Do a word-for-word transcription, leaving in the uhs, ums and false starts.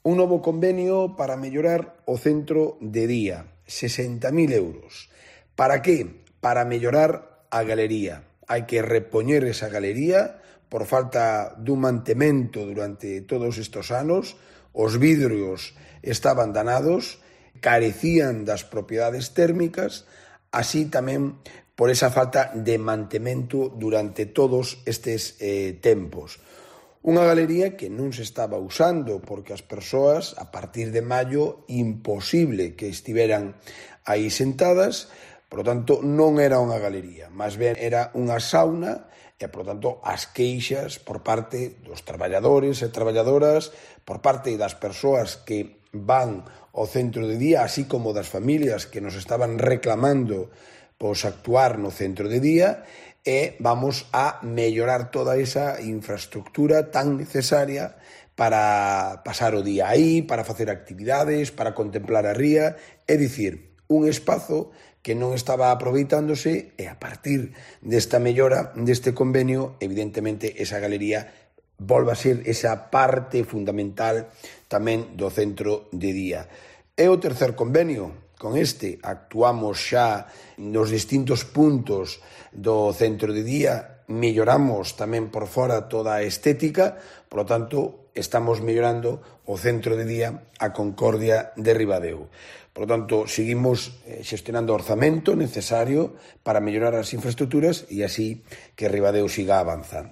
Un novo convenio para mellorar o centro de día, sesenta mil euros. Para que? Para mellorar a galería. Hai que repoñer esa galería por falta dun mantemento durante todos estes anos. Os vidrios estaban danados, carecían das propiedades térmicas, así tamén por esa falta de mantemento durante todos estes eh, tempos. Unha galería que non se estaba usando porque as persoas, a partir de maio, imposible que estiveran aí sentadas, por lo tanto, non era unha galería, máis ben era unha sauna e, por lo tanto, as queixas por parte dos traballadores e traballadoras, por parte das persoas que van ao centro de día, así como das familias que nos estaban reclamando pois actuar no centro de día, e vamos a mellorar toda esa infraestructura tan necesaria para pasar o día aí, para facer actividades, para contemplar a ría, é dicir, un espazo que non estaba aproveitándose e a partir desta mellora, deste convenio, evidentemente esa galería volve a ser esa parte fundamental tamén do centro de día. E o tercer convenio. Con este actuamos xa nos distintos puntos do centro de día, melloramos tamén por fora toda a estética, por lo tanto, estamos mellorando o centro de día a Concordia de Ribadeo. Por lo tanto, seguimos xestionando o orzamento necesario para mellorar as infraestructuras e así que Ribadeo siga avanzando.